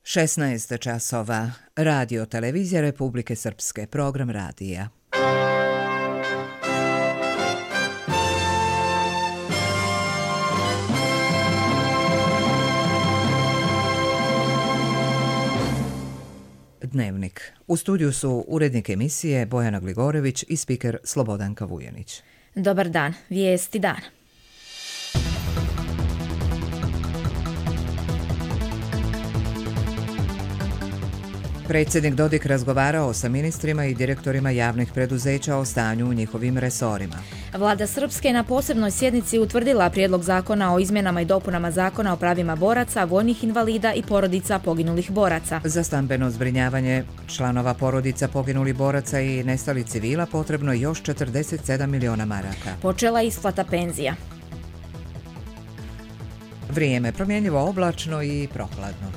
16 časova. Radio Televizija Republike Srpske. Program radija. Dnevnik. U studiju su urednik emisije Bojana Gligorević i spiker Slobodanka Vujanić. Dobar dan. Vijesti dana. Predsjednik Dodik razgovarao sa ministrima i direktorima javnih preduzeća o stanju u njihovim resorima. Vlada Srpske na posebnoj sjednici utvrdila prijedlog zakona o izmjenama i dopunama zakona o pravima boraca, vojnih invalida i porodica poginulih boraca. Za stambeno zbrinjavanje članova porodica poginulih boraca i nestalih civila potrebno još 47 miliona maraka. Počela isplata penzija. Vrijeme promjenjivo, oblačno i prohladno.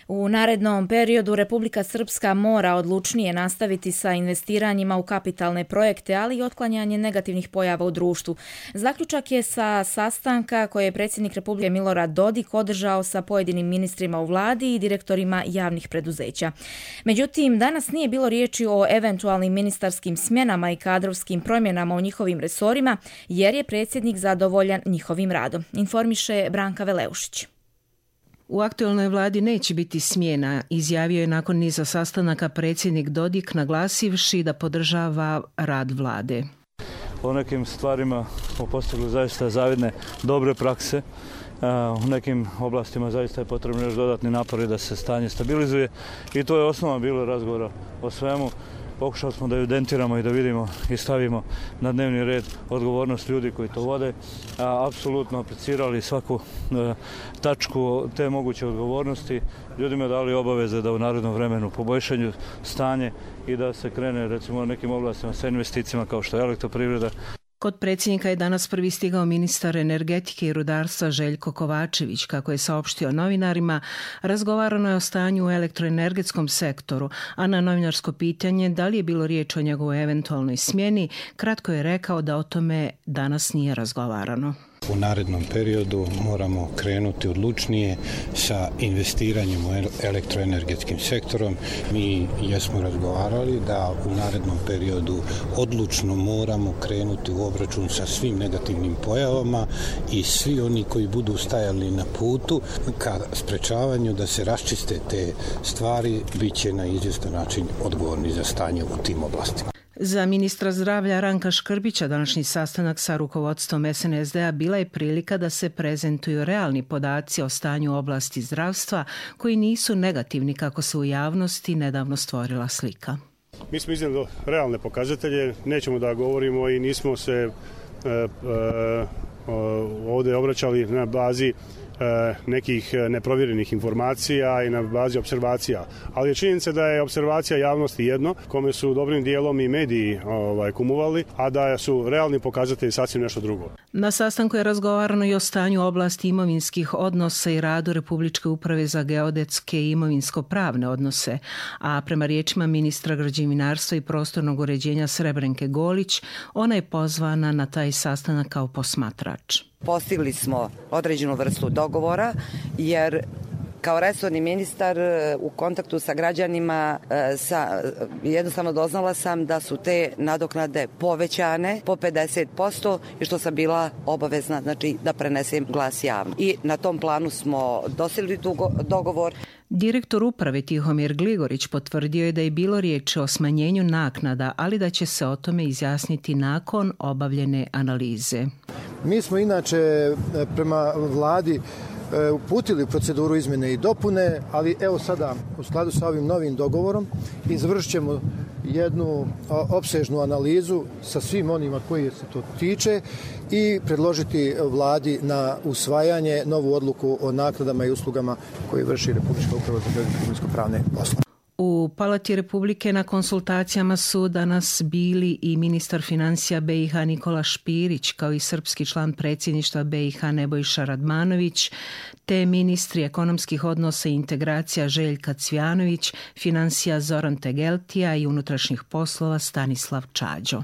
U narednom periodu Republika Srpska mora odlučnije nastaviti sa investiranjima u kapitalne projekte, ali i otklanjanje negativnih pojava u društvu. Zaključak je sa sastanka koje je predsjednik Republike Milorad Dodik održao sa pojedinim ministrima u vladi i direktorima javnih preduzeća. Međutim, danas nije bilo riječi o eventualnim ministarskim smjenama i kadrovskim promjenama u njihovim resorima, jer je predsjednik zadovoljan njihovim radom, informiše Branka Veleušić. U aktualnoj vladi neće biti smjena, izjavio je nakon niza sastanaka predsjednik Dodik, naglasivši da podržava rad vlade. O nekim stvarima smo postigli zaista zavidne dobre prakse. U nekim oblastima zaista je potrebno još dodatni napori da se stanje stabilizuje i to je osnova bilo razgovora o svemu. Pokušali smo da ju dentiramo i da vidimo i stavimo na dnevni red odgovornost ljudi koji to vode. Apsolutno aplicirali svaku tačku te moguće odgovornosti. Ljudima dali obaveze da u narednom vremenu poboljšanju stanje i da se krene recimo nekim oblastima sa investicijama kao što je elektroprivreda. Kod predsjednika je danas prvi stigao ministar energetike i rudarstva Željko Kovačević. Kako je saopštio novinarima, razgovarano je o stanju u elektroenergetskom sektoru, a na novinarsko pitanje da li je bilo riječ o njegovoj eventualnoj smjeni, kratko je rekao da o tome danas nije razgovarano. U narednom periodu moramo krenuti odlučnije sa investiranjem u elektroenergetskim sektorom. Mi jesmo razgovarali da u narednom periodu odlučno moramo krenuti u obračun sa svim negativnim pojavama i svi oni koji budu stajali na putu ka sprečavanju da se raščiste te stvari bit će na izvjestan način odgovorni za stanje u tim oblastima. Za ministra zdravlja Ranka Škrbića današnji sastanak sa rukovodstvom SNSD-a bila je prilika da se prezentuju realni podaci o stanju u oblasti zdravstva koji nisu negativni kako se u javnosti nedavno stvorila slika. Mi smo iznijeli realne pokazatelje, nećemo da govorimo i nismo se ovdje obraćali na bazi nekih neprovjerenih informacija i na bazi observacija. Ali je činjenica da je observacija javnosti jedno, kome su dobrim dijelom i mediji kumovali, a da su realni pokazatelji sasvim nešto drugo. Na sastanku je razgovarano i o stanju oblasti imovinskih odnosa i radu Republičke uprave za geodetske i imovinsko-pravne odnose, a prema riječima ministra građevinarstva i prostornog uređenja Srebrenke Golić, ona je pozvana na taj sastanak kao posmatrač. Postigli smo određenu vrstu dogovora jer kao resorni ministar u kontaktu sa građanima jednostavno doznala sam da su te nadoknade povećane po 50% i što sam bila obavezna da prenesem glas javno. I na tom planu smo dosegli dogovor. Direktor uprave Tihomir Gligorić potvrdio je da je bilo riječi o smanjenju naknada, ali da će se o tome izjasniti nakon obavljene analize. Mi smo inače prema vladi uputili proceduru izmjene i dopune, ali evo sada u skladu sa ovim novim dogovorom izvršit ćemo jednu opsežnu analizu sa svim onima koji se to tiče i predložiti vladi na usvajanje novu odluku o naknadama i uslugama koje vrši Republička uprava za geodetske i imovinsko-pravne poslove. U Palati Republike na konsultacijama su danas bili i ministar financija BiH Nikola Špirić, kao i srpski član predsjedništva BiH Nebojša Radmanović, te ministri ekonomskih odnosa i integracija Željka Cvjanović, financija Zoran Tegeltija i unutrašnjih poslova Stanislav Čađo.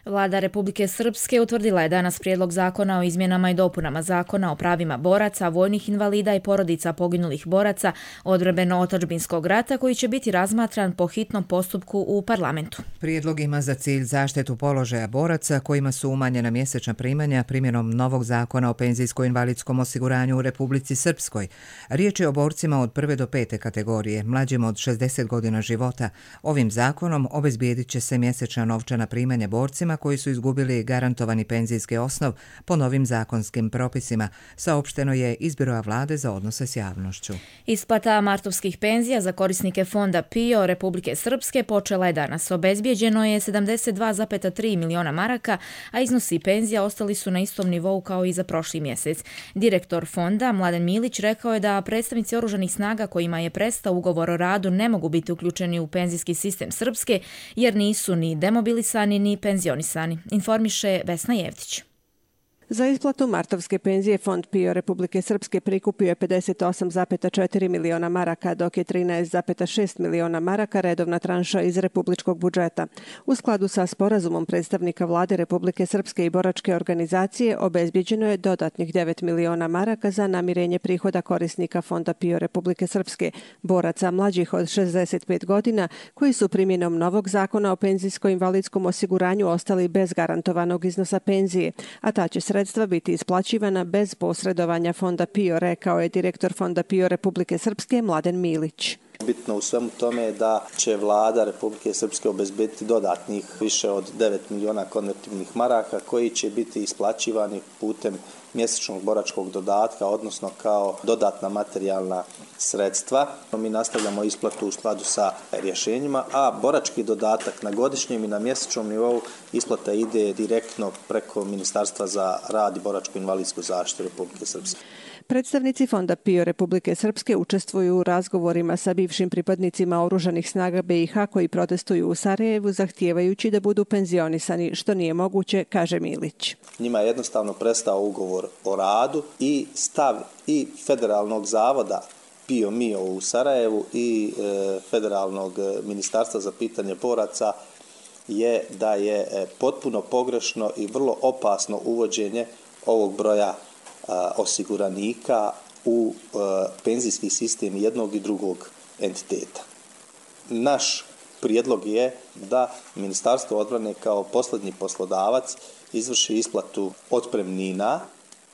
Vlada Republike Srpske utvrdila je danas prijedlog zakona o izmjenama i dopunama zakona o pravima boraca, vojnih invalida i porodica poginulih boraca odbrambeno-otadžbinskog rata koji će biti razmatran po hitnom postupku u parlamentu. Prijedlog ima za cilj zaštitu položaja boraca kojima su umanjena mjesečna primanja primjenom novog zakona o penzijsko-invalidskom osiguranju u Republici Srpskoj. Riječ je o borcima od 1. do 5. kategorije, mlađim od 60 godina života. Ovim zakonom obezbijedit će se mjesečna novčana primanja borcima koji su izgubili garantovani penzijski osnov po novim zakonskim propisima, saopšteno je iz Biroa vlade za odnose s javnošću. Isplata martovskih penzija za korisnike fonda PIO Republike Srpske počela je danas. Obezbijeđeno je 72,3 miliona maraka, a iznosi penzija ostali su na istom nivou kao i za prošli mjesec. Direktor fonda Mladen Milić rekao je da predstavnici oružanih snaga kojima je prestao ugovor o radu ne mogu biti uključeni u penzijski sistem Srpske jer nisu ni demobilisani ni penzionisani. Informiše Vesna Jevtić. Za isplatu martovske penzije Fond PIO Republike Srpske prikupio je 58,4 miliona maraka, dok je 13,6 miliona maraka redovna tranša iz republičkog budžeta. U skladu sa sporazumom predstavnika vlade Republike Srpske i boračke organizacije obezbijeđeno je dodatnih 9 miliona maraka za namirenje prihoda korisnika Fonda PIO Republike Srpske, boraca mlađih od 65 godina koji su primjenom novog zakona o penzijsko-invalidskom osiguranju ostali bez garantovanog iznosa penzije, a ta će sredstva biti isplaćivana bez posredovanja Fonda PIO, rekao je direktor Fonda PIO Republike Srpske Mladen Milić. Bitno u svemu tome je da će vlada Republike Srpske obezbediti dodatnih više od 9 miliona konvertibilnih maraka koji će biti isplaćivani putem mjesečnog boračkog dodatka, odnosno kao dodatna materijalna sredstva. Mi nastavljamo isplatu u skladu sa rješenjima, a borački dodatak na godišnjem i na mjesečnom nivou isplata ide direktno preko Ministarstva za rad i boračko-invalidsku zaštitu Republike Srpske. Predstavnici Fonda PIO Republike Srpske učestvuju u razgovorima sa bivšim pripadnicima oružanih snaga BiH koji protestuju u Sarajevu zahtijevajući da budu penzionisani, što nije moguće, kaže Milić. Njima je jednostavno prestao ugovor o radu i stav i Federalnog zavoda PIO-MIO u Sarajevu i Federalnog ministarstva za pitanje boraca je da je potpuno pogrešno i vrlo opasno uvođenje ovog broja osiguranika u penzijski sistem jednog i drugog entiteta. Naš prijedlog je da Ministarstvo odbrane kao posljednji poslodavac izvrši isplatu otpremnina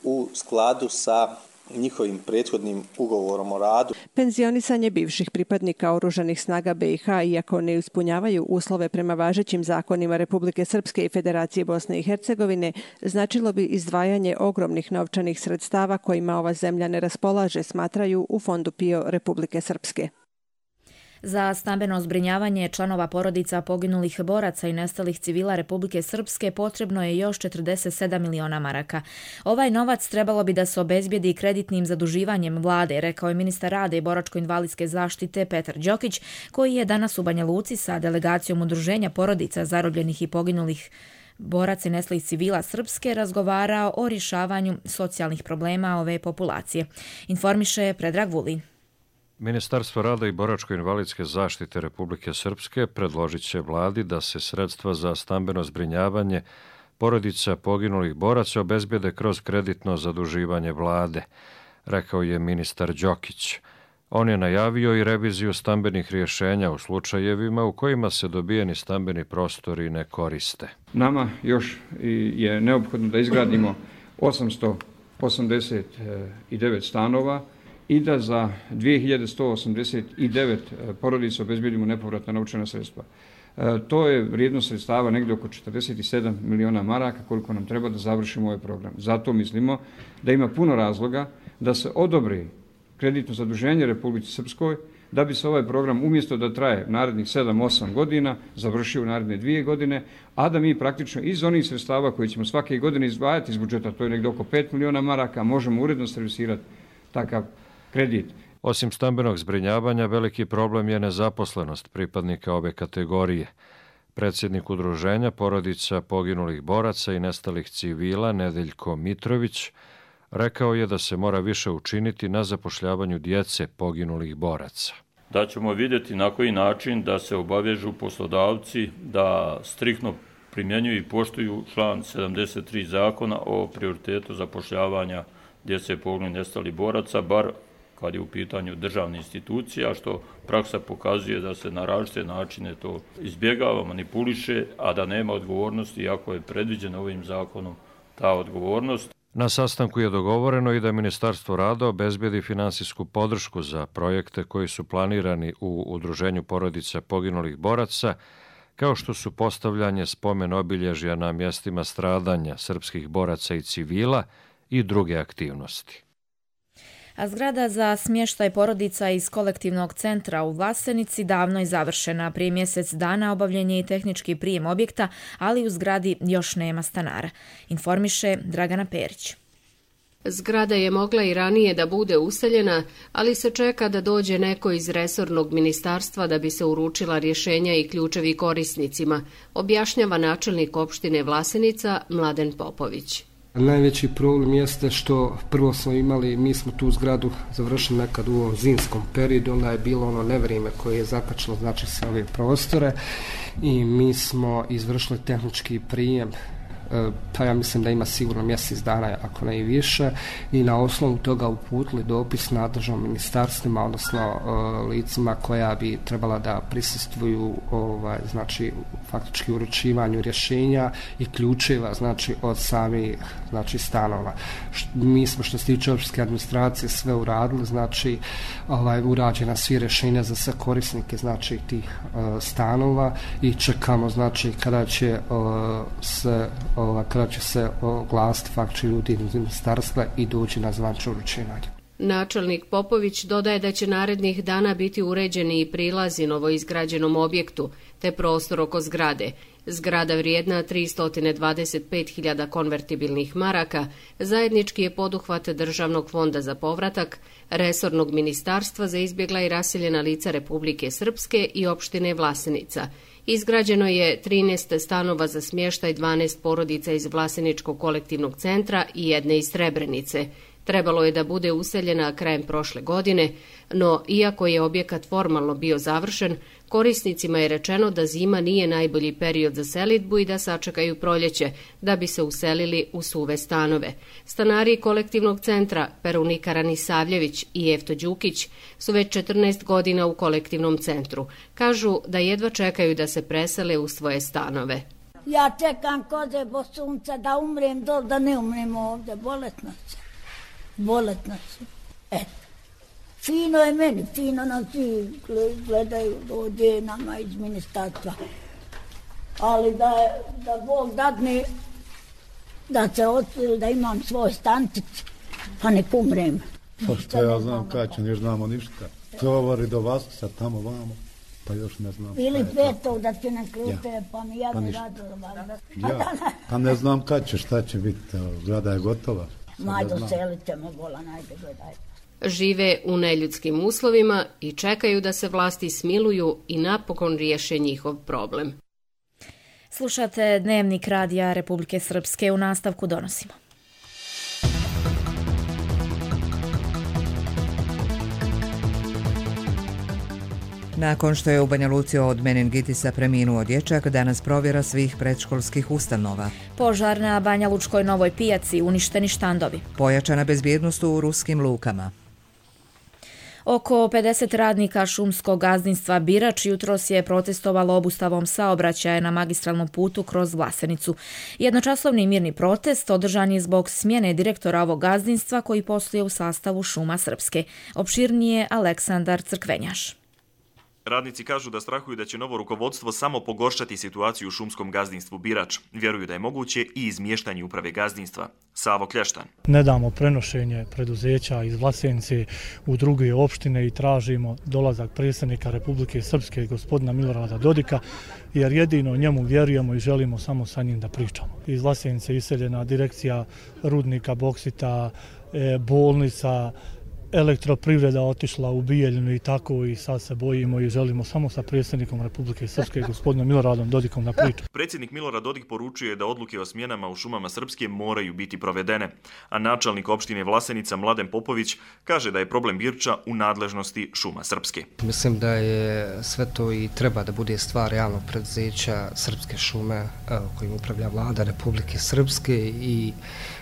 u skladu sa njihovim prethodnim ugovorom o radu. Penzionisanje bivših pripadnika oružanih snaga BiH, iako ne ispunjavaju uslove prema važećim zakonima Republike Srpske i Federacije Bosne i Hercegovine, značilo bi izdvajanje ogromnih novčanih sredstava kojima ova zemlja ne raspolaže, smatraju u Fondu PIO Republike Srpske. Za stambeno zbrinjavanje članova porodica poginulih boraca i nestalih civila Republike Srpske potrebno je još 47 miliona maraka. Ovaj novac trebalo bi da se obezbijedi kreditnim zaduživanjem vlade, rekao je ministar rada i boračko-invalidske zaštite Petar Đokić, koji je danas u Banja Luci sa delegacijom udruženja porodica zarobljenih i poginulih boraca i nestalih civila Srpske razgovarao o rješavanju socijalnih problema ove populacije. Informiše Predrag Vulin. Ministarstvo rada i boračko-invalidske zaštite Republike Srpske predložit će vladi da se sredstva za stambeno zbrinjavanje porodica poginulih boraca obezbijede kroz kreditno zaduživanje vlade, rekao je ministar Đokić. On je najavio i reviziju stambenih rješenja u slučajevima u kojima se dobijeni stambeni prostori ne koriste. Nama još je neophodno da izgradimo 889 stanova i da za 2189 porodica obezbijedimo nepovratna novčana sredstva. To je vrijednost sredstava negdje oko 47 miliona maraka koliko nam treba da završimo ovaj program. Zato mislimo da ima puno razloga da se odobri kreditno zaduženje Republici Srpskoj, da bi se ovaj program umjesto da traje narednih 7-8 godina završio u naredne 2 godine, a da mi praktično iz onih sredstava koje ćemo svake godine izdvajati iz budžeta, to je negdje oko 5 miliona maraka, možemo uredno servisirati takav kredit. Osim stambenog zbrinjavanja, veliki problem je nezaposlenost pripadnika ove kategorije. Predsjednik udruženja porodica poginulih boraca i nestalih civila Nedeljko Mitrović rekao je da se mora više učiniti na zapošljavanju djece poginulih boraca. Da ćemo vidjeti na koji način da se obavežu poslodavci da striktno primjenjuju i poštuju član 73 zakona o prioritetu zapošljavanja djece poginulih nestalih boraca, bar kad je u pitanju državne institucije, a što praksa pokazuje da se na različite načine to izbjegava, manipuliše, a da nema odgovornosti, iako je predviđena ovim zakonom ta odgovornost. Na sastanku je dogovoreno i da Ministarstvo rada obezbedi finansijsku podršku za projekte koji su planirani u Udruženju porodica poginulih boraca, kao što su postavljanje spomen obilježja na mjestima stradanja srpskih boraca i civila i druge aktivnosti. A zgrada za smještaj porodica iz kolektivnog centra u Vlasenici davno je završena. Prije mjesec dana obavljen je i tehnički prijem objekta, ali u zgradi još nema stanara. Informiše Dragana Perić. Zgrada je mogla i ranije da bude useljena, ali se čeka da dođe neko iz resornog ministarstva da bi se uručila rješenja i ključevi korisnicima, objašnjava načelnik opštine Vlasenica Mladen Popović. Najveći problem jeste što prvo smo imali, mi smo tu zgradu završili nekad u ovom zimskom periodu, onda je bilo ono nevrijeme koje je zakačilo znači sve ove prostore i mi smo izvršili tehnički prijem, pa ja mislim da ima sigurno mjesec dana, ako ne i više, i na osnovu toga uputili dopis nadležnom ministarstvima, odnosno licima koja bi trebala da prisustvuju znači faktički uručivanju rješenja i ključeva znači od samih znači stanova. Mi smo što se tiče općinske administracije sve uradili, znači urađena svi rješenja za sve korisnike znači tih stanova i čekamo znači kada će se oglasiti faktički ljudi iz ministarstva i doći na zvančno uručivanje. Načelnik Popović dodaje da će narednih dana biti uređeni i prilazi novoizgrađenom objektu, te prostor oko zgrade. Zgrada vrijedna 325.000 konvertibilnih maraka zajednički je poduhvat Državnog fonda za povratak, resornog ministarstva za izbjegla i raseljena lica Republike Srpske i opštine Vlasenica. Izgrađeno je 13 stanova za smještaj 12 porodica iz Vlaseničkog kolektivnog centra i jedne iz Srebrenice. Trebalo je da bude useljena krajem prošle godine, no iako je objekat formalno bio završen, korisnicima je rečeno da zima nije najbolji period za selidbu i da sačekaju proljeće, da bi se uselili u suve stanove. Stanari kolektivnog centra Perunika Ranisavljević i Jefto Đukić su već 14 godina u kolektivnom centru. Kažu da jedva čekaju da se presele u svoje stanove. Ja čekam koze bo sunca da umrem dol, da ne umrem ovdje, boletno se. Eto. Fino je meni, fino nam svi gledaju, dođe nama iz ministarstva. Ali da Bog dadne da se odseli, da imam svoj stančić, pa nek umrem. Pa što ja znam kada će, ne znamo ništa. Tovari do vas, sad tamo vamo, pa još ne znam. Ili petog da će nam ključe, pa mi ja ne radila. Ja, pa ne znam kad će, šta će biti, zgrada je gotova. Maj doselit ćemo, bola najde gledaj. Žive u neljudskim uslovima i čekaju da se vlasti smiluju i napokon riješe njihov problem. Slušate Dnevnik radija Republike Srpske, u nastavku donosimo. Nakon što je u Banja Luci od meningitisa preminuo dječak, danas provjera svih predškolskih ustanova. Požar na Banja Lučkoj Novoj pijaci, uništeni štandovi. Pojačana bezbjednost u ruskim lukama. Oko 50 radnika šumskog gazdinstva Birač jutros je protestovalo obustavom saobraćaja na magistralnom putu kroz Vlasenicu. Jednočasovni mirni protest održan je zbog smjene direktora ovog gazdinstva koji posluje u sastavu Šuma Srpske. Opširnije Aleksandar Crkvenjaš. Radnici kažu da strahuju da će novo rukovodstvo samo pogoršati situaciju u šumskom gazdinstvu Birač. Vjeruju da je moguće i izmještanje uprave gazdinstva. Savo Klještan. Ne damo prenošenje preduzeća iz Vlasenice u druge opštine i tražimo dolazak predsjednika Republike Srpske gospodina Milorada Dodika, jer jedino njemu vjerujemo i želimo samo sa njim da pričamo. Iz Vlasenice iseljena direkcija rudnika, boksita, bolnica, elektroprivreda otišla u Bijeljinu i tako, i sad se bojimo i želimo samo sa predsjednikom Republike Srpske, gospodinom Miloradom Dodikom, na priču. Predsjednik Milorad Dodik poručuje da odluke o smjenama u šumama Srpske moraju biti provedene, a načelnik opštine Vlasenica Mladen Popović kaže da je problem Birča u nadležnosti šuma Srpske. Mislim da je sve to i treba da bude stvar javnog preduzeća Srpske šume kojim upravlja vlada Republike Srpske i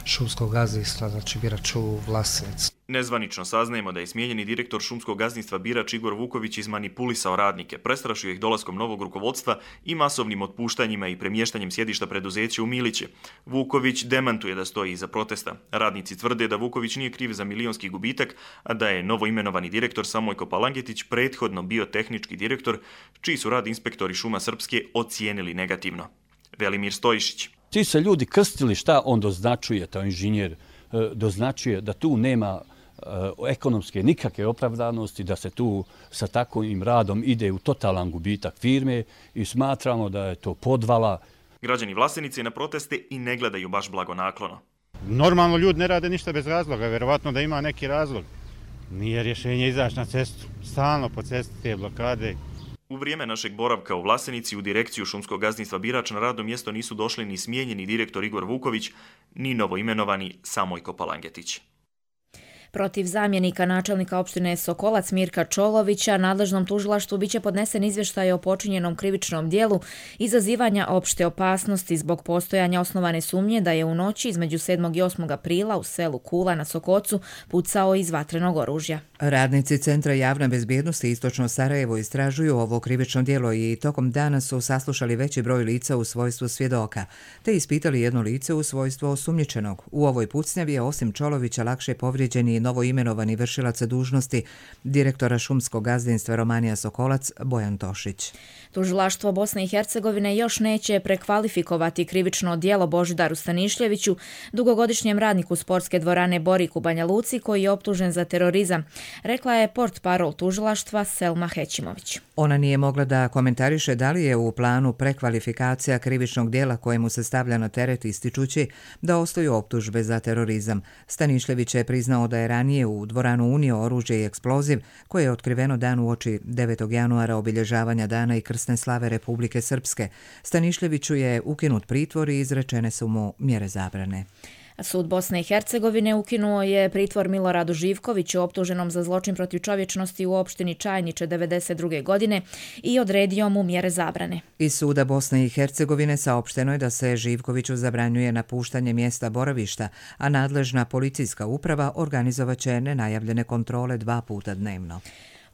šumskog gazdinstva, znači Birač u Vlasenici. Nezvanično saznajemo da je smijenjeni direktor šumskog gazdinstva Birač Igor Vuković izmanipulisao radnike, prestrašio ih dolaskom novog rukovodstva i masovnim otpuštanjima i premještanjem sjedišta preduzeća u Miliće. Vuković demantuje da stoji iza protesta. Radnici tvrde da Vuković nije kriv za milionski gubitak, a da je novoimenovani direktor Samojko Palangetić prethodno bio tehnički direktor, čiji su rad inspektori šuma Srpske ocijenili negativno. Velimir Stojišić. Ti se ljudi krstili šta on doznačuje, taj inženjer, doznačuje da tu nema ekonomske nikakve opravdanosti, da se tu sa takvim radom ide u totalan gubitak firme i smatramo da je to podvala. Građani Vlasenice na proteste i ne gledaju baš blagonaklono. Normalno ljudi ne rade ništa bez razloga, verovatno da ima neki razlog. Nije rješenje izaći na cestu, stalno po cesti te blokade. U vrijeme našeg boravka u Vlasenici u direkciju šumskog gazdinstva Birač na radno mjesto nisu došli ni smijenjeni direktor Igor Vuković, ni novoimenovani Samojko Palangetić. Protiv zamjenika načelnika opštine Sokolac Mirka Čolovića nadležnom tužilaštvu biće podnesen izvještaj o počinjenom krivičnom dijelu izazivanja opšte opasnosti zbog postojanja osnovane sumnje da je u noći između 7. i 8. aprila u selu Kula na Sokocu pucao iz vatrenog oružja. Radnici Centra javne bezbjednosti Istočno Sarajevo istražuju ovo krivično djelo i tokom dana su saslušali veći broj lica u svojstvu svjedoka, te ispitali jedno lice u svojstvu osumnjičenog. U ovoj pucnjavi je osim Čolovića lakše povrijeđen i novoimenovani vršilac dužnosti direktora šumskog gazdinstva Romanija Sokolac Bojan Tošić. Tužilaštvo Bosne i Hercegovine još neće prekvalifikovati krivično djelo Božidaru Stanišljeviću, dugogodišnjem radniku sportske dvorane Borik u Banja Luci, koji je optužen za terorizam, rekla je portparol tužilaštva Selma Hećimović. Ona nije mogla da komentariše da li je u planu prekvalifikacija krivičnog djela kojemu se stavlja na teret, ističući da ostaju optužbe za terorizam. Stanišljević je priznao da je ranije u dvoranu unio oružje i eksploziv koje je otkriveno dan uoči 9. januara obilježavanja dana i krsne slave Republike Srpske. Stanišljeviću je ukinut pritvor i izrečene su mu mjere zabrane. Sud Bosne i Hercegovine ukinuo je pritvor Miloradu Živkoviću optuženom za zločin protiv čovječnosti u opštini Čajniče 1992. godine i odredio mu mjere zabrane. Iz suda Bosne i Hercegovine saopšteno je da se Živkoviću zabranjuje napuštanje mjesta boravišta, a nadležna policijska uprava organizovaće nenajavljene kontrole 2 puta dnevno.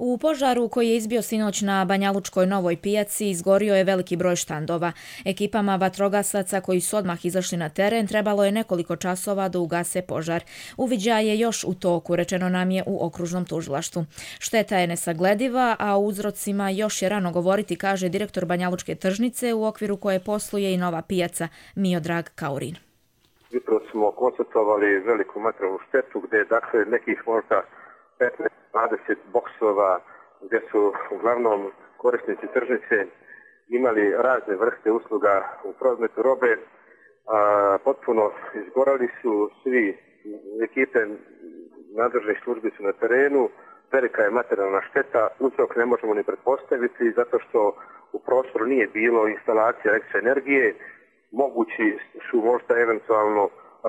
U požaru koji je izbio sinoć na Banjalučkoj Novoj pijaci izgorio je veliki broj štandova. Ekipama vatrogasaca koji su odmah izašli na teren trebalo je nekoliko časova da ugase požar. Uviđaj je još u toku, rečeno nam je u okružnom tužilaštvu. Šteta je nesaglediva, a o uzrocima još je rano govoriti, kaže direktor Banjalučke tržnice u okviru koje posluje i nova pijaca Miodrag Kaurin. Jutro smo konstatovali veliku materijalnu štetu gdje dakle nekih možda 15-20 boksova gdje su uglavnom korisnici tržnice imali razne vrste usluga u prometu robe. Potpuno izgorali su svi, ekipe nadležnih službi su na terenu, velika je materijalna šteta, uzrok ne možemo ni pretpostaviti zato što u prostoru nije bilo instalacije električne energije, mogući su možda eventualno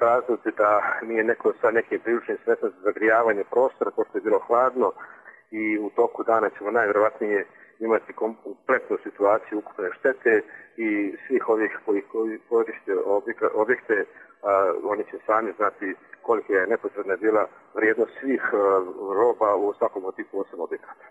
razlozi da nije neko sa nekim priručnim sredstvom za zagrijavanje prostora, pošto je bilo hladno i u toku dana ćemo najvjerovatnije imati kompletnu situaciju ukupne štete i svih ovih koji koriste objekte, oni će sami znati kolika je nepotrebna bila vrijednost svih roba u svakom od tih 8 objekata.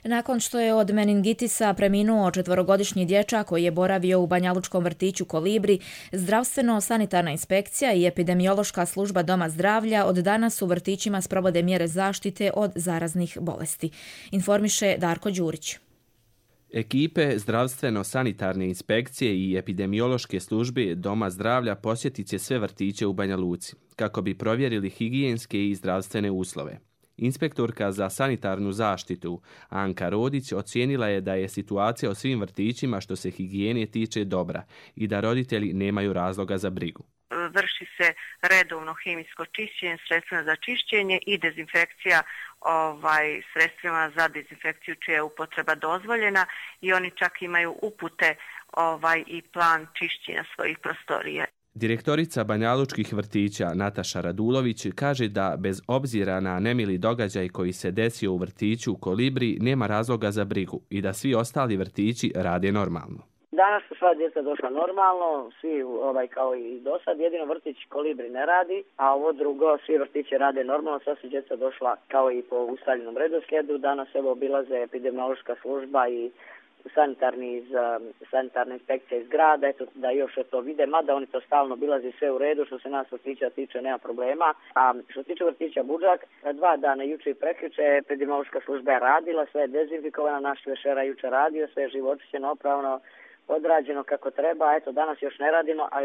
Nakon što je od meningitisa preminuo 4-godišnji dječak koji je boravio u banjalučkom vrtiću Kolibri, zdravstveno-sanitarna inspekcija i epidemiološka služba Doma zdravlja od danas u vrtićima sprovode mjere zaštite od zaraznih bolesti, informiše Darko Đurić. Ekipe zdravstveno-sanitarne inspekcije i epidemiološke službe Doma zdravlja posjetit će sve vrtiće u Banja Luci, kako bi provjerili higijenske i zdravstvene uslove. Inspektorka za sanitarnu zaštitu Anka Rodić ocijenila je da je situacija u svim vrtićima što se higijene tiče dobra i da roditelji nemaju razloga za brigu. vrši se redovno hemijsko čišćenje, sredstvima za čišćenje i dezinfekcija sredstvima za dezinfekciju čija je upotreba dozvoljena i oni čak imaju upute i plan čišćenja svojih prostorija. Direktorica banjalučkih vrtića Nataša Radulović kaže da bez obzira na nemili događaj koji se desio u vrtiću Kolibri nema razloga za brigu i da svi ostali vrtići rade normalno. Danas su sva djeca došla normalno, svi kao i do sad, jedino vrtić Kolibri ne radi, a ovo drugo, svi vrtići rade normalno, sva su djeca došla kao i po ustaljenom redoslijedu. Danas obilaze epidemiološka služba i sanitarna inspekcija iz grada, eto da još to vide, mada oni to stalno obilaze sve u redu, što se nas vrtića tiče nema problema. A što se tiče vrtića Budžak, 2 dana juče i prekjuče epidemiološka služba je radila, sve je dezinfikovano, naš večera juče radio, sve je živočićeno, opravno odrađeno kako treba, eto danas još ne radimo, a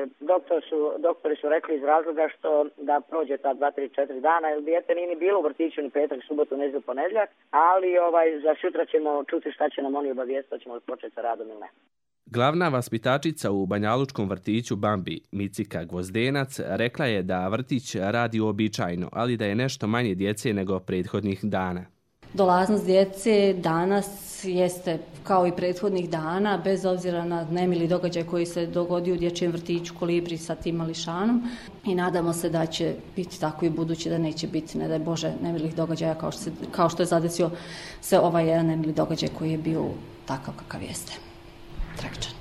doktori su rekli iz razloga što da prođe ta 2, 3, 4 dana, jer dijete nije ni bilo u vrtiću ni petak, subotu, nedjelju, ponedjeljak, ali za sutra ćemo čuti šta će nam oni obavijestiti, ćemo početi sa radom ili ne. Glavna vaspitačica u banjalučkom vrtiću Bambi, Micika Gvozdenac, rekla je da vrtić radi uobičajeno, ali da je nešto manje djece nego prethodnih dana. Dolaznost djece danas jeste kao i prethodnih dana, bez obzira na nemili događaj koji se dogodio u dječjem vrtiću Kolibri sa tim mališanom i nadamo se da će biti tako i budući, da neće biti, ne daj Bože, nemilih događaja kao što je zadesio se ovaj jedan nemili događaj koji je bio takav kakav jeste. Tragičan.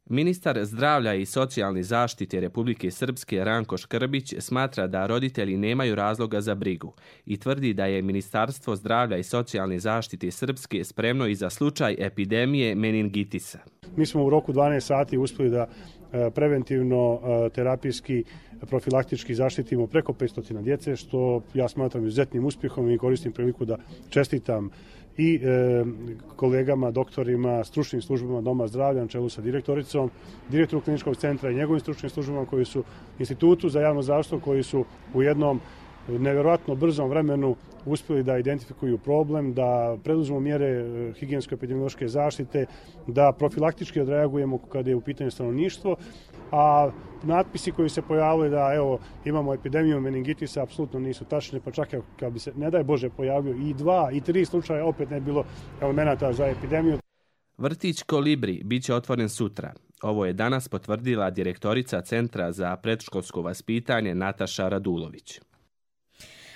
Ministar zdravlja i socijalne zaštite Republike Srpske Ranko Škrbić smatra da roditelji nemaju razloga za brigu i tvrdi da je Ministarstvo zdravlja i socijalne zaštite Srpske spremno i za slučaj epidemije meningitisa. Mi smo u roku 12 sati uspjeli da preventivno, terapijski, profilaktički zaštitimo preko 500 djece, što ja smatram izuzetnim uspjehom i koristim priliku da čestitam i kolegama, doktorima, stručnim službama Doma zdravlja na čelu sa direktoricom, direktoru kliničkog centra i njegovim stručnim službama koji su Institutu za javno zdravstvo, koji su u jednom nevjerojatno brzom vremenu uspjeli da identifikuju problem, da preduzmu mjere higijensko-epidemiološke zaštite, da profilaktički odreagujemo kada je u pitanju stanovništvo, a natpisi koji se pojavili da imamo epidemiju meningitisa apsolutno nisu tačne, pa čak kad bi se, ne daj Bože, pojavio i 2 i 3 slučaja, opet ne bilo elemenata za epidemiju. Vrtić Kolibri bit će otvoren sutra. Ovo je danas potvrdila direktorica Centra za predškolsko vaspitanje Nataša Radulović.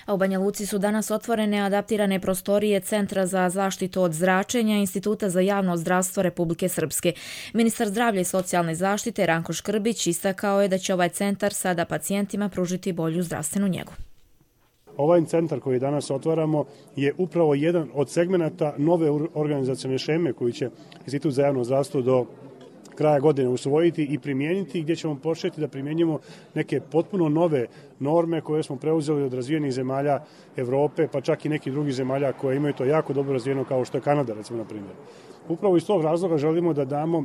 A u Banja Luci su danas otvorene adaptirane prostorije Centra za zaštitu od zračenja Instituta za javno zdravstvo Republike Srpske. Ministar zdravlja i socijalne zaštite Ranko Škrbić istakao je da će ovaj centar sada pacijentima pružiti bolju zdravstvenu njegu. Ovaj centar koji danas otvaramo je upravo jedan od segmenata nove organizacione šeme koju će Institut za javno zdravstvo do kraja godine usvojiti i primijeniti, gdje ćemo početi da primjenjujemo neke potpuno nove norme koje smo preuzeli od razvijenih zemalja Evrope, pa čak i nekih drugih zemalja koje imaju to jako dobro razvijeno, kao što je Kanada, recimo, na primjer. Upravo iz tog razloga želimo da damo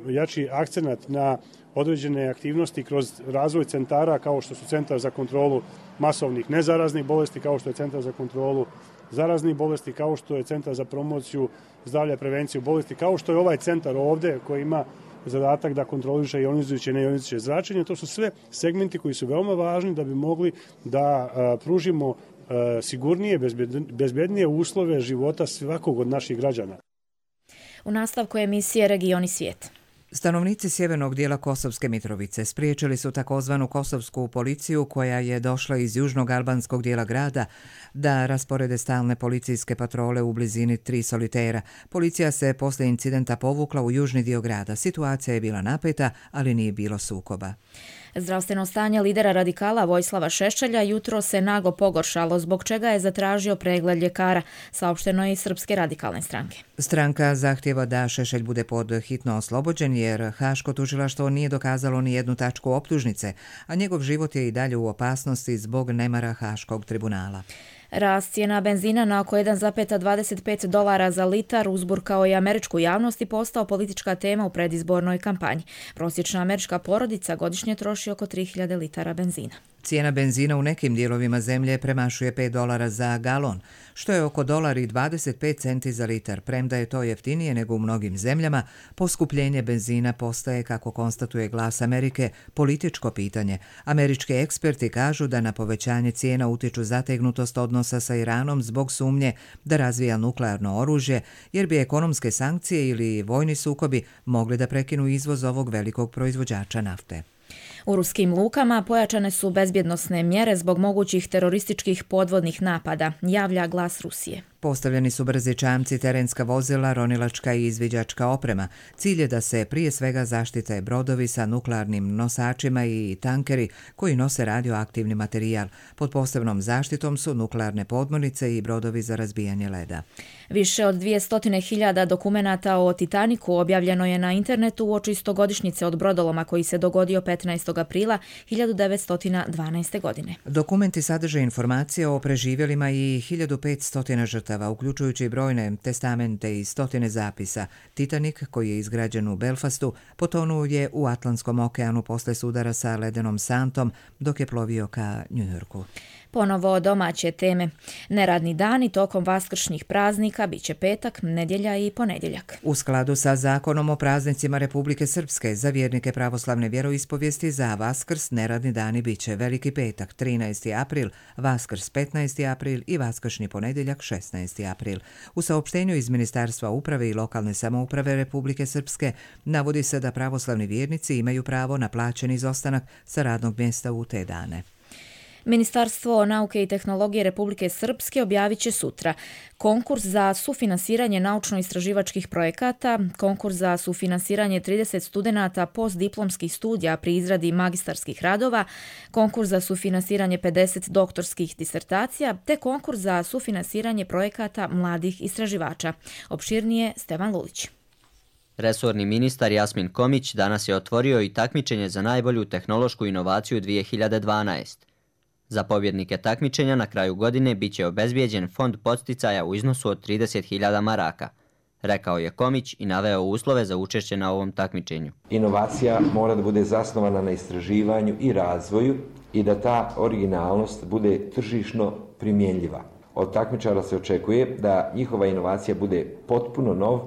jači akcenat na određene aktivnosti kroz razvoj centara, kao što su Centar za kontrolu masovnih nezaraznih bolesti, kao što je Centar za kontrolu zaraznih bolesti, kao što je Centar za promociju zdravlja i prevenciju bolesti, kao što je ovaj centar ovdje koji ima zadatak da kontroliše ionizujuće i neionizujuće zračenje. To su sve segmenti koji su veoma važni da bi mogli da pružimo sigurnije, bezbednije uslove života svakog od naših građana. U nastavku emisije Regioni svijet. Stanovnici sjevernog dijela Kosovske Mitrovice spriječili su takozvanu kosovsku policiju koja je došla iz južnog albanskog dijela grada da rasporede stalne policijske patrole u blizini 3 solitera. Policija se poslije incidenta povukla u južni dio grada. Situacija je bila napeta, ali nije bilo sukoba. Zdravstveno stanje lidera radikala Vojislava Šešelja jutro se naglo pogoršalo, zbog čega je zatražio pregled ljekara, saopšteno je iz Srpske radikalne stranke. Stranka zahtjeva da Šešelj bude pod hitno oslobođen jer Haško tužilaštvo nije dokazalo ni jednu tačku optužnice, a njegov život je i dalje u opasnosti zbog nemara Haškog tribunala. Rast cijena benzina na oko $1,25 za litar uzburkao je američku javnost i postao politička tema u predizbornoj kampanji. Prosječna američka porodica godišnje troši oko 3000 litara benzina. Cijena benzina u nekim dijelovima zemlje premašuje $5 za galon, što je oko $1,25 za litar. Premda je to jeftinije nego u mnogim zemljama, poskupljenje benzina postaje, kako konstatuje Glas Amerike, političko pitanje. Američki eksperti kažu da na povećanje cijena utiču zategnutost odnosa sa Iranom zbog sumnje da razvija nuklearno oružje, jer bi ekonomske sankcije ili vojni sukobi mogli da prekinu izvoz ovog velikog proizvođača nafte. U ruskim lukama pojačane su bezbjednosne mjere zbog mogućih terorističkih podvodnih napada, javlja Glas Rusije. Postavljeni su brzi čamci, terenska vozila, ronilačka i izviđačka oprema. Cilj je da se prije svega zaštite brodovi sa nuklearnim nosačima i tankeri koji nose radioaktivni materijal. Pod posebnom zaštitom su nuklearne podmornice i brodovi za razbijanje leda. Više od 200.000 dokumenata o Titaniku objavljeno je na internetu uoči 100-godišnjice od brodoloma koji se dogodio 15. aprila 1912. godine. Dokumenti sadrže informacije o preživjelima i 1500 žrtava, uključujući i brojne testamente i stotine zapisa. Titanic, koji je izgrađen u Belfastu, potonuo je u Atlantskom okeanu posle sudara sa ledenom santom dok je plovio ka Njujorku. Ponovo domaće teme. Neradni dani tokom vaskršnjih praznika biće petak, nedjelja i ponedjeljak. U skladu sa zakonom o praznicima Republike Srpske, za vjernike pravoslavne vjeroispovijesti za Vaskrs neradni dani biće Veliki petak 13. april, Vaskrs 15. april i vaskršnji ponedjeljak 16. april. U saopštenju iz Ministarstva uprave i lokalne samouprave Republike Srpske navodi se da pravoslavni vjernici imaju pravo na plaćeni izostanak sa radnog mjesta u te dane. Ministarstvo nauke i tehnologije Republike Srpske objavit će sutra konkurs za sufinansiranje naučno-istraživačkih projekata, konkurs za sufinansiranje 30 studenata postdiplomskih studija pri izradi magistarskih radova, konkurs za sufinansiranje 50 doktorskih disertacija, te konkurs za sufinansiranje projekata mladih istraživača. Opširnije Stevan Lulić. Resorni ministar Jasmin Komić danas je otvorio i takmičenje za najbolju tehnološku inovaciju 2012. Za pobjednike takmičenja na kraju godine biće obezbijeđen fond podsticaja u iznosu od 30.000 maraka, rekao je Komić i naveo uslove za učešće na ovom takmičenju. Inovacija mora da bude zasnovana na istraživanju i razvoju i da ta originalnost bude tržišno primjenljiva. Od takmičara se očekuje da njihova inovacija bude potpuno nov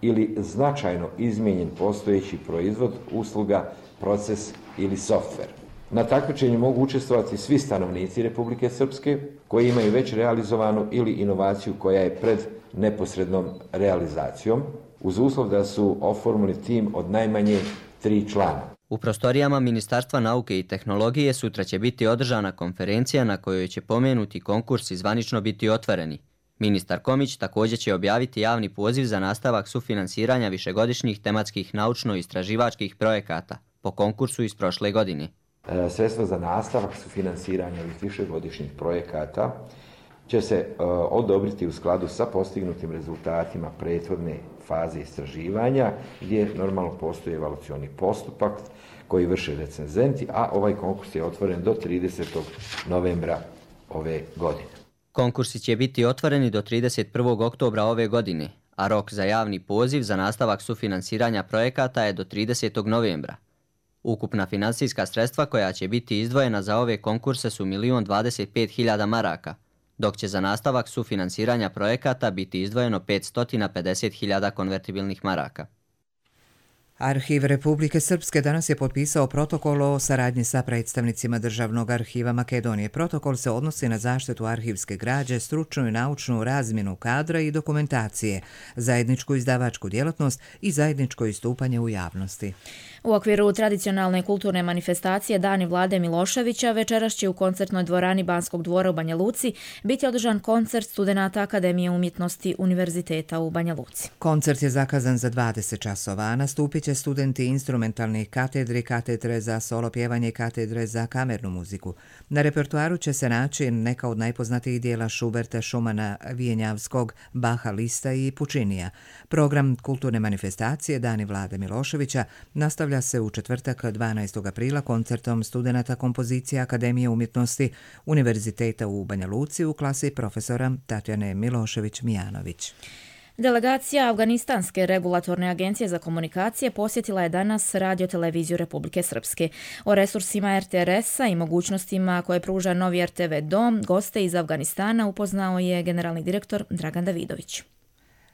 ili značajno izmijenjen postojeći proizvod, usluga, proces ili softver. Na takmičenju mogu učestvovati svi stanovnici Republike Srpske koji imaju već realizovanu ili inovaciju koja je pred neposrednom realizacijom, uz uslov da su oformili tim od najmanje 3 člana. U prostorijama Ministarstva nauke i tehnologije sutra će biti održana konferencija na kojoj će pomenuti konkurs i zvanično biti otvoreni. Ministar Komić također će objaviti javni poziv za nastavak sufinansiranja višegodišnjih tematskih naučno-istraživačkih projekata po konkursu iz prošle godine. Sredstva za nastavak sufinansiranja ovih višegodišnjih projekata će se odobriti u skladu sa postignutim rezultatima prethodne faze istraživanja, gdje normalno postoji evaluacioni postupak koji vrše recenzenti, a ovaj konkurs je otvoren do 30. novembra ove godine. Konkursi će biti otvoreni do 31. oktobra ove godine, a rok za javni poziv za nastavak sufinansiranja projekata je do 30. novembra. Ukupna finansijska sredstva koja će biti izdvojena za ove konkurse su 1.025.000 maraka, dok će za nastavak sufinansiranja projekata biti izdvojeno 550.000 konvertibilnih maraka. Arhiv Republike Srpske danas je potpisao protokol o saradnji sa predstavnicima Državnog arhiva Makedonije. Protokol se odnosi na zaštitu arhivske građe, stručnu i naučnu razmjenu kadra i dokumentacije, zajedničku izdavačku djelatnost i zajedničko istupanje u javnosti. U okviru tradicionalne kulturne manifestacije Dani Vlade Miloševića večeras će u koncertnoj dvorani Banskog dvora u Banja Luci biti održan koncert studenata Akademije umjetnosti Univerziteta u Banja Luci. Koncert je zakazan za 20 časova, a nastupit će studenti instrumentalnih katedri, katedre za solo pjevanje i katedre za kamernu muziku. Na repertoaru će se naći neka od najpoznatijih dijela Šuberta, Šumana, Vijenjavskog, Baha, Lista i Pučinija. Program kulturne manifestacije Dani Vlade Miloševića nastavlja se u četvrtak 12. aprila koncertom studenata kompozicije Akademije umjetnosti Univerziteta u Banja Luci u klasi profesora Tatjane Milošević-Mijanović. Delegacija Afganistanske regulatorne agencije za komunikacije posjetila je danas Radio-televiziju Republike Srpske. O resursima RTRS-a i mogućnostima koje pruža novi RTV dom goste iz Afganistana upoznao je generalni direktor Dragan Davidović.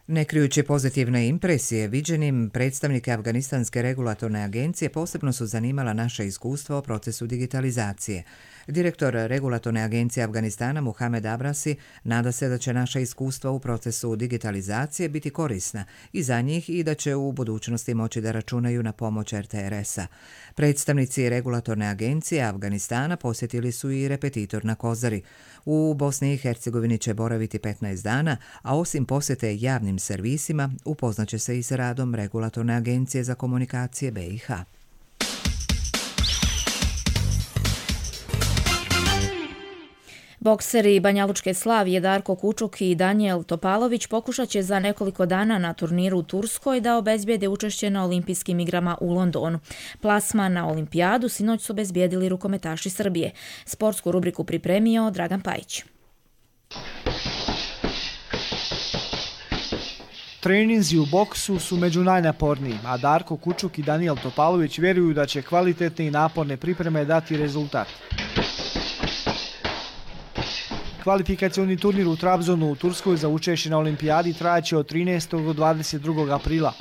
Ne krijući pozitivne impresije viđenim, predstavnike Afganistanske regulatorne agencije posebno su zanimala naša iskustva o procesu digitalizacije. Direktor regulatorne agencije Afganistana Muhamed Abrasi nada se da će naša iskustva u procesu digitalizacije biti korisna i za njih i da će u budućnosti moći da računaju na pomoć RTRS-a. Predstavnici regulatorne agencije Afganistana posjetili su i repetitor na Kozari. U Bosni i Hercegovini će boraviti 15 dana, a osim posjete javnim servisima, upoznaće se i sa radom regulatorne agencije za komunikacije BiH. Bokseri Banjalučke Slavije Darko Kučuk i Danijel Topalović pokušat će za nekoliko dana na turniru u Turskoj da obezbijede učešće na olimpijskim igrama u Londonu. Plasman na olimpijadu sinoć su obezbijedili rukometaši Srbije. Sportsku rubriku pripremio Dragan Pajić. Treninzi u boksu su među najnapornijim, a Darko Kučuk i Danijel Topalović vjeruju da će kvalitetne i naporne pripreme dati rezultat. Kvalifikacioni turnir u Trabzonu u Turskoj za učešće na olimpijadi trajaće od 13. do 22. aprila.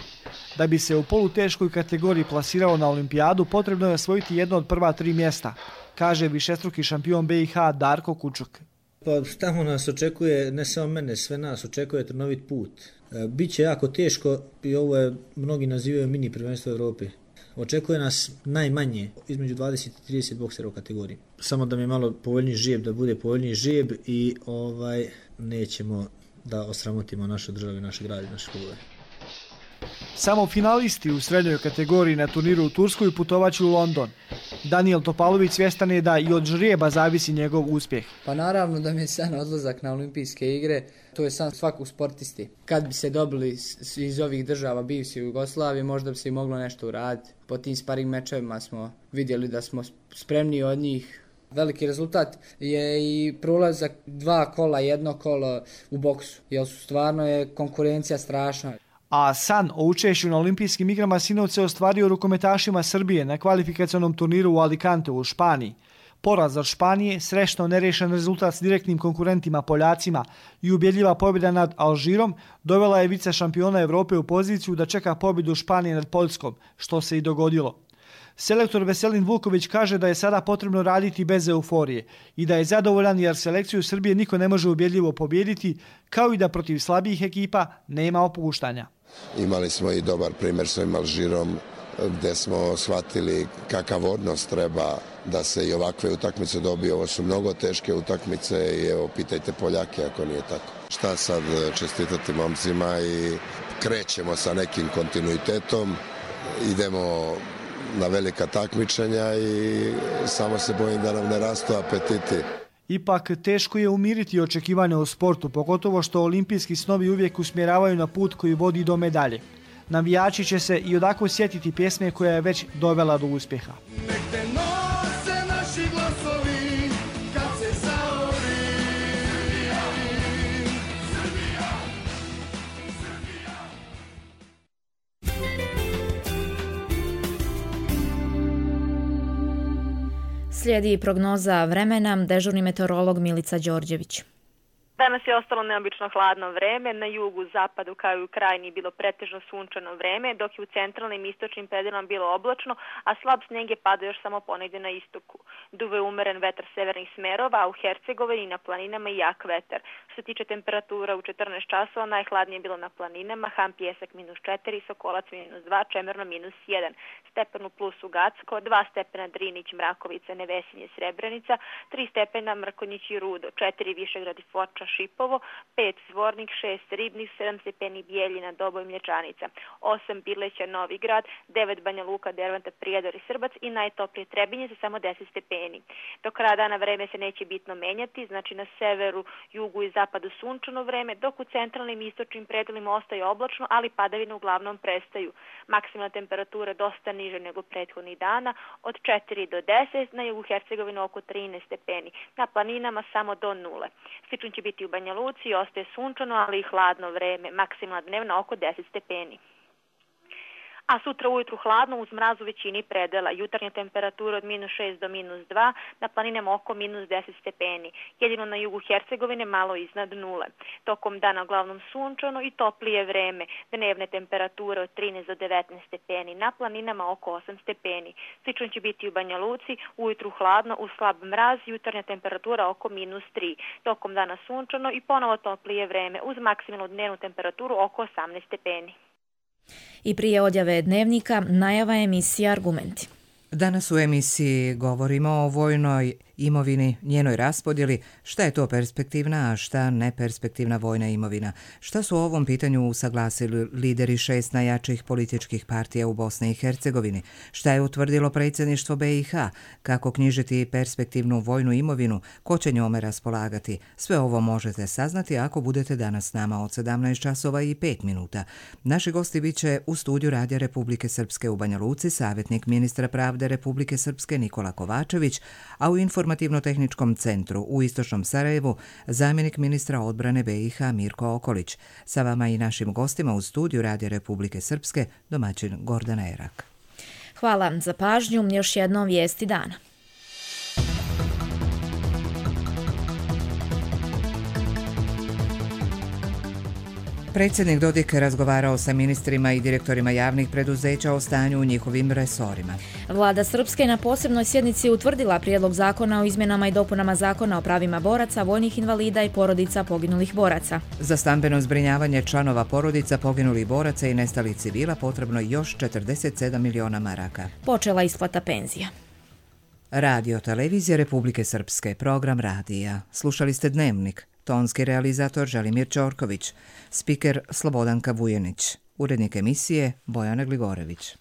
Da bi se u poluteškoj kategoriji plasirao na olimpijadu, potrebno je osvojiti jedno od prva 3 mjesta, kaže višestruki šampion BiH Darko Kučuk. Pa tamo nas očekuje, ne samo mene, sve nas očekuje trnovit put. Biće jako teško i ovo je, mnogi nazivaju mini prvenstvo Evrope. Očekuje nas najmanje, između 20 i 30 boksera u kategoriji. Samo da mi je malo povoljniji žijeb, da bude povoljniji žijeb i nećemo da osramotimo našu državu, naše grade, naše klubove. Samo finalisti u srednjoj kategoriji na turniru u Turskoj putovaće u London. Danijel Topalović svjestan je da i od žrijeba zavisi njegov uspjeh. Pa naravno da mi je san odlazak na olimpijske igre, to je san svakog sportisti. Kad bi se dobili iz ovih država bivše Jugoslavije, možda bi se i moglo nešto uraditi. Po tim sparing mečevima smo vidjeli da smo spremniji od njih. Veliki rezultat je i prolazak 2 kola, 1 kolo u boksu, jer stvarno je konkurencija strašna. A san o učešću na olimpijskim igrama sinoć se ostvario rukometašima Srbije na kvalifikacionom turniru u Alicante u Španiji. Poraz od Španije, srećno nerešen rezultat s direktnim konkurentima Poljacima i ubjedljiva pobjeda nad Alžirom dovela je vice šampiona Evrope u poziciju da čeka pobjedu Španije nad Poljskom, što se i dogodilo. Selektor Veselin Vuković kaže da je sada potrebno raditi bez euforije i da je zadovoljan jer selekciju Srbije niko ne može ubjedljivo pobijediti, kao i da protiv slabijih ekipa nema opuštanja. Imali smo i dobar primjer s ovim Alžirom gdje smo shvatili kakav odnos treba da se i ovakve utakmice dobije. Ovo su mnogo teške utakmice i evo pitajte Poljake ako nije tako. Šta sad čestitati momcima i krećemo sa nekim kontinuitetom, idemo na velika takmičenja i samo se bojim da nam ne rastu apetiti. Ipak teško je umiriti očekivanja u sportu, pogotovo što olimpijski snovi uvijek usmjeravaju na put koji vodi do medalje. Navijači će se i odako sjetiti pjesme koja je već dovela do uspjeha. Slijedi prognoza vremena, dežurni meteorolog Milica Đorđević. Danas je ostalo neobično hladno vreme, na jugu, zapadu kao i u krajini bilo pretežno sunčano vreme, dok je u centralnim i istočnim predjelima bilo oblačno, a slab snijeg je padao još samo ponegdje na istoku. Duve umeren vetar severnih smerova, a u Hercegovini i na planinama i jak vetar. Što se tiče temperatura u 14 časova, najhladnije je bilo na planinama, Ham Pjesak -4, Sokolac -2, Čemerno -1, stepenu plus u Gacko, 2 stepena Drinić, Mrakovica, Nevesinje, Srebrenica, 3 stepena Mrkonjić i Rudo, 4 Višegrad i Foča, Šipovo, 5 Zvornik, 6 Ribnik, 7 stepeni Bijeljina, Doboj, Mlječanica, 8 Birleća, Novi Grad, 9 Banja Luka, Derventa, Prijedor i Srbac i najtoplije Trebinje sa samo 10 stepeni. Do kraja dana vreme se neće bitno menjati, znači na severu, jugu i zapadu sunčano vreme, dok u centralnim i istočnim predelima ostaje oblačno, ali padavine uglavnom prestaju. Maksimalna temperatura dosta niže nego prethodnih dana, od 4 do 10, na jugu Hercegovine oko 13 stepeni, na planinama samo do 0. Slično će biti biti u Banja Luci, ostaje sunčano, ali i hladno vreme, maksimalna dnevna oko 10 stepeni. A sutra ujutru hladno uz mraz u većini predela. Jutarnja temperatura od -6 do -2, na planinama oko -10 stepeni. Jedino na jugu Hercegovine malo iznad nule. Tokom dana uglavnom sunčano i toplije vreme. Dnevne temperature od 13 do 19 stepeni, na planinama oko 8 stepeni. Slično će biti u Banja Luci, ujutru hladno uz slab mraz, jutarnja temperatura oko -3. Tokom dana sunčano i ponovo toplije vreme uz maksimalnu dnevnu temperaturu oko 18 stepeni. I prije odjave dnevnika, najava emisije Argumenti. Danas u emisiji govorimo o vojnoj imovini, njenoj raspodjeli, šta je to perspektivna, a šta neperspektivna vojna imovina. Šta su o ovom pitanju usaglasili lideri 6 najjačih političkih partija u Bosni i Hercegovini, šta je utvrdilo predsjedništvo BiH, kako knjižiti perspektivnu vojnu imovinu, ko će njome raspolagati. Sve ovo možete saznati ako budete danas s nama od 17 časova i 5 minuta. Naši gosti bit će u studiju Radija Republike Srpske u Banja Luci, savjetnik ministra pravde Republike Srpske Nikola Kovačević, a u Informativno-tehničkom centru u Istočnom Sarajevu zamjenik ministra odbrane BiH Mirko Okolić. Sa vama i našim gostima u studiju Radija Republike Srpske domaćin Gordana Erak. Hvala za pažnju, još jednom vijesti dana. Predsjednik Dodik razgovarao sa ministrima i direktorima javnih preduzeća o stanju u njihovim resorima. Vlada Srpske na posebnoj sjednici utvrdila prijedlog zakona o izmjenama i dopunama zakona o pravima boraca, vojnih invalida i porodica poginulih boraca. Za stambeno zbrinjavanje članova porodica poginulih boraca i nestalih civila potrebno još 47 miliona maraka. Počela isplata penzija. Radio Televizija Republike Srpske, program radija. Slušali ste Dnevnik. Tonski realizator Želimir Ćorković, spiker Slobodanka Vujenić, urednik emisije Bojana Gligorević.